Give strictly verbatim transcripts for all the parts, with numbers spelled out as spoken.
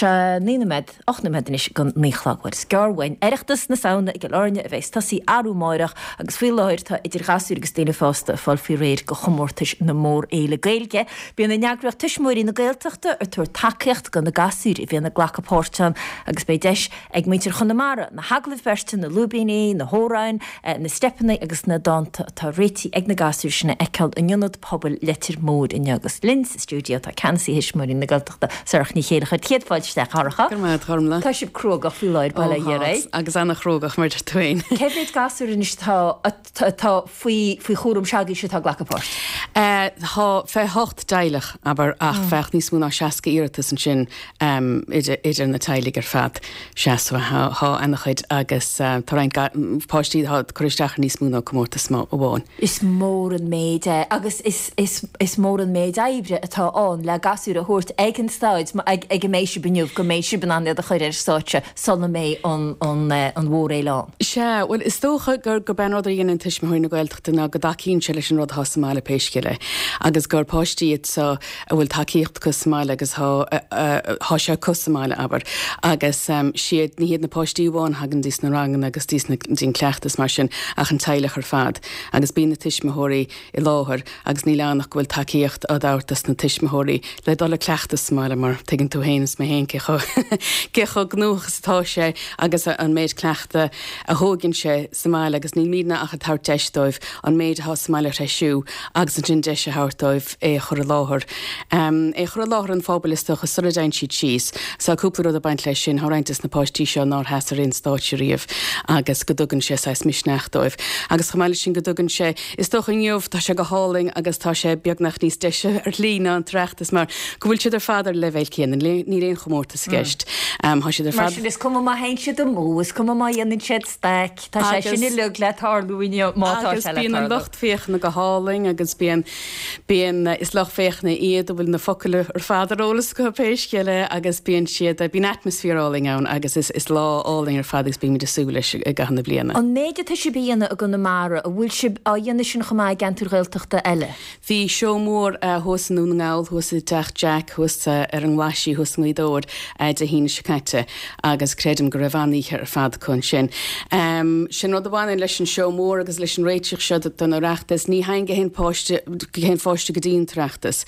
Sé naoi nóiméad, ocht nóiméad anois don naoi a chlog. Bhuel, is gearr uainn Oireachtas na Samhna i gCill Airne a bheas ag tosaí arú amáireach agus faoi láthair tá idir ghasúir agus daoine fásta ag fáil faoi réir do chomórtais na mórfhéile Gaeilge. Bíonn an eagraíocht Tuismitheoirí na Gaeltachta ag tabhairt tacaíocht do na gasúir a bhíonn ag glacadh páirt ann agus beidh deis ag muintir Chonamara na hagallaimh beirte, na lúibíní, na hamhráin, na steipeanna agus na dánta atá réitithe ag na gasúir sin a fheiceáil in Ionad Pobail Leitir Móir inniu agus linn sa stiúideo tá ceannasaí Thuismitheoirí na Gaeltachta, Sorcha Ní Chéilleachair. Céad fáilte isteach, a Shorcha. Go raibh maith agat, a Ghormfhlaith. Tá sibh cruógach faoi láthair, bail ó Dhia oraibh. Agus ana-chruógach, mar deir tú féin. Cé mhéad gasúr anois atá atá faoi faoi chúram s'agaibhse atá ag glacadh páirt? Tá fiche hocht dteaghlach, abair, ach bheadh níos mó ná seasca iarratas ansin idir idir na teaghlaigh ar fad. Sea, so tá ana-chuid agus tá roinnt páistí atá ag cur isteach ar níos mó ná comórtas amháin. Is mór an méid é agus is is is mór an méid oibre atá ann le gasúir a thabhairt ag an staid ag ag a mbeidh sibh inniu go mbeidh sibh in ann iad a chur ar stáitse sula mbeidh an an an mhórfhéile ann. Sea, bhuel is dócha gur gurb é an rud a dhéanann Tuismitheoirí na Gaeltachta ná go dtacaíonn sé leis an rud atá sa mbaile pé scéal é agus gur páistí iad seo a bhfuil tacaíocht acu sa mbaile agus thá thá sé acu sa mbaile abair agus siad ní hiad na páistí amháin a thagann dtí sna ranganna agus dtí sna dtí an cleachtas mar sin ach an teaghlach ar fad agus bíonn na tuismitheoirí i láthair agus níl ann ach go bhfuil tacaíocht á dtabhairt dos na tuismitheoirí le dul ag cleachtadh sa mbaile mar tuigeann tú féin is mé féin cé chomh cé chomh gnóthach is atá sé agus an méid cleachta a thógann sé sa mbaile agus nílimidne ach ag tabhairt deis dóibh an méid atá sa mbaile a threisiú agus ansin deis a thabhairt dóibh é a chur i láthair. É a chur i láthair an phobail is dócha sula dtéann siad síos. Tá cúpla rud ag baint leis sin, tá roinnt des na páistí seo nár sheas ar aon stáitse riamh agus go dtugann sé saghas misneach dóibh. Agus chomh maith leis sin go dtugann sé, is dócha inniu, tá sé go hálainn agus tá sé beagnach níos deise ar shlí ná an tOireachtas mar go bhfuil siad ar fad ar leibhéal céanna, níl aon chomórtas i gceist. Tá siad ar Mar fad. sin is cuma má théann siad amú, is cuma má dhéanann siad staic, tá sé sin uilig le tarlú inniu má tá Agus sé le bíonn an tarlú. lucht féachana go hálainn agus bíonn, bíonn, is lucht féachana iad a bhfuil na focail ar fad ar eolas acu pé scéal é agus bíonn siad, bíonn atmaisféar álainn ann agus is, is lá álainn ar fad agus bímid ag súil leis i gcaitheamh na bliana. An méid atá sibh a dhéanamh i gConamara, an bhfuil sibh á dhéanamh sin chomh maith i gceantair Ghaeltachta eile? Bhí seó mór thuas i nDún na nGall, thuas i dTeach Jack, thuas ar an nGlaisigh, thuas i nGaoth Dobhair Dé hAoine seo caite agus creidim go raibh an-oíche ar fad acu ansin. Sin rud a bhaineann leis an seó mór agus leis an réiteach seo don Oireachtas, ní théann gach aon pháiste, gach aon pháiste go dtí an tOireachtas.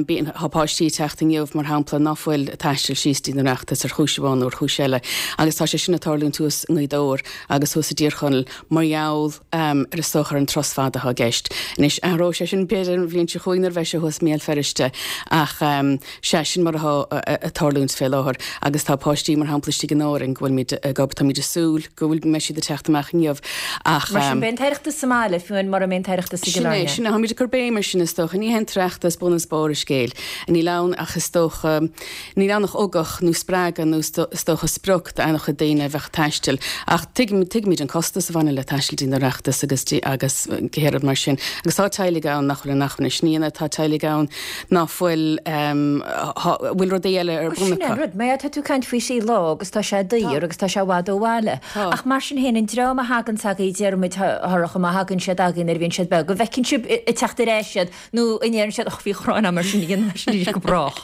Bíonn, tá páistí ag teacht inniu, mar shampla, ná fuil ag taisteal síos dtí an Oireachtas ar chúis amháin nó ar chúis eile agus tá sé sin ag tarlúint thuas i nGaoth Dobhair agus thuas i dTír Chonaill mar gheall ar is dócha ar an turas fada atá i gceist. Anois, athróidh sé sin b'fhéidir an bhliain seo chugainn nuair a bheidh sé thuas i mBéal Feirste ach sea, sin mar atá ag tarlúint fé láthair agus tá páistí, mar shampla, istigh in Árainn go bhfuilimid ag obair, táimid ag súil go bhfuil, mbeidh siad ag teacht amach inniu ach. Mar sin, beidh an tOireachtas sa mbaile, fiú amháin mura mbeidh an tOireachtas i Sin gCill é, Airne. sin é, táimid ag cur béim air sin is dócha. Ní hé an tOireachtas bun is barr an scéil. Níl ann ach is dócha, níl ann ach ugach nó spreagadh nó is dócha sprioc d'an-chuid daoine a bheadh ag taisteal. Ach tuigimid an costas a bhaineann le taisteal dtí an Oireachtas agus agus gach rud mar sin. Agus tá teaghlaigh ann nach bhfuil in acmhainn é sin a dhéanamh, tá teaghlaigh ann ná fuil, bhfuil rudaí eile ar bun Sin é an acu. rud, mar tá tú ag caint faoi sé lá agus tá sé daor agus tá sé i bhfad ó bhaile. Ach mar sin féin, an dream a thagann agaibh, déarfaimid, a Shorcha, má thagann siad agaibh nuair a bhíonn siad beag, go bhfeiceann sibh ag teacht ar ais iad nó an ndeireann siad, Och, bhí chráin agam ar sin a dhéanamh mar sin arís go brách.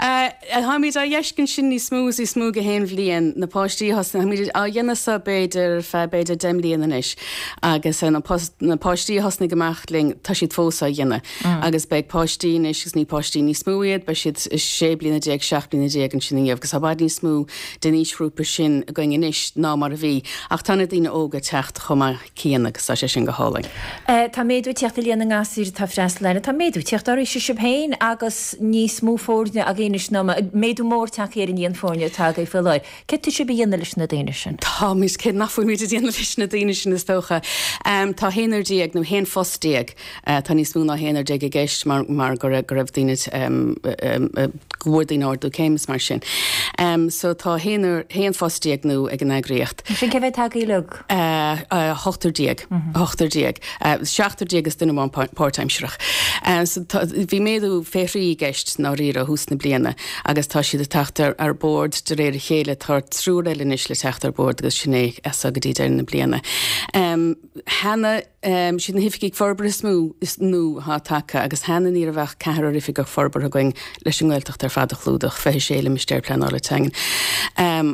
Táimid á fheiscint sin níos mó is níos mó gach aon bhliain. Na páistí a thosnaigh, táimid á dhéanamh seo b'fhéidir ar feadh b'fhéidir deich mbliana anois agus na na páistí a thosnaigh amach linn tá siad fós á dhéanamh agus beidh páistí anois agus ní páistí níos mó iad, beidh siad sé bliana déag, seacht bliana déag ansin inniu agus tá i bhfad níos mó den aoisghrúpa sin againn anois ná mar a bhí ach tá na daoine óga ag teacht chomh maith céanna agus tá sé sin go hálainn. Tá méadú ag teacht ar líon na ngasúr atá ag freastal air. Tá méadú ag teacht oraibhse sibh féin agus níos mó foirne agaibh anois ná mar, méadú mór tagtha ar an líon foirne atá agaibh faoi láthair. Céard tá sibh a dhéanamh leis na daoine sin? Táimid, céard nach bhfuilimid a dhéanamh leis na daoine sin is dócha. Tá haonar déag nó haon phost déag, tá níos mó ná haonar déag i gceist mar mar go raibh go raibh daoine go bhfuair daoine ardú céime is mar sin. So tá haonar, haon phost déag nua ag an eagraíocht. Sin cé mhéad atá agaibh uilig? Ochtar déag. Ochtar déag. Seachtar déag is duine amháin páirtaimsearach. So tá, bhí méadú fé thrí i gceist ndáiríre ó thús na bliana agus tá siad ag teacht ar ar bord de réir a chéile. Tá triúr eile anois le teacht ar bord agus sin é as so go dtí deireadh na bliana. Cheana Siad na hoifigigh forbartha is mó is nua atá tagtha agus cheana ní raibh ach ceathrar oifigeach forbartha againn leis an nGaeltacht ar fad a chlúdach, fiche sé limistéar pleanála teangan.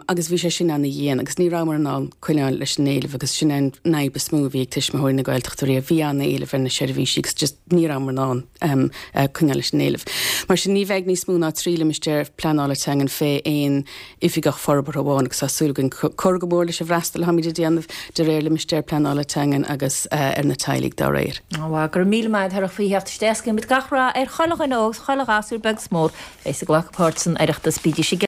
Agus bhí sé sin ana-dhian agus ní rabhamar in ann coinneáil leis an éileamh agus sin an fhadhb is mó a bhí ag Tuismitheoirí na Gaeltachta riamh. Bhí an-éileamh ar na seirbhísí agus just ní rabhamar in ann coinneáil leis an éileamh. Mar sin ní bheidh níos mó ná trí limistéar pleanála teangan fé aon oifigeach forbartha amháin agus tá súil againn cur go mór leis an bhfreastal atáimid a dhéanamh de réir limistéar pleanála teangan agus ar na teaghlaigh dá réir. Ó, go raibh míle maith agat faoi theacht isteach. Guímid gach rath ar chuile dhuine óg, chuile ghasúr beag 's mór, bheas ag glacadh páirt san Oireachtas. Bídís ag.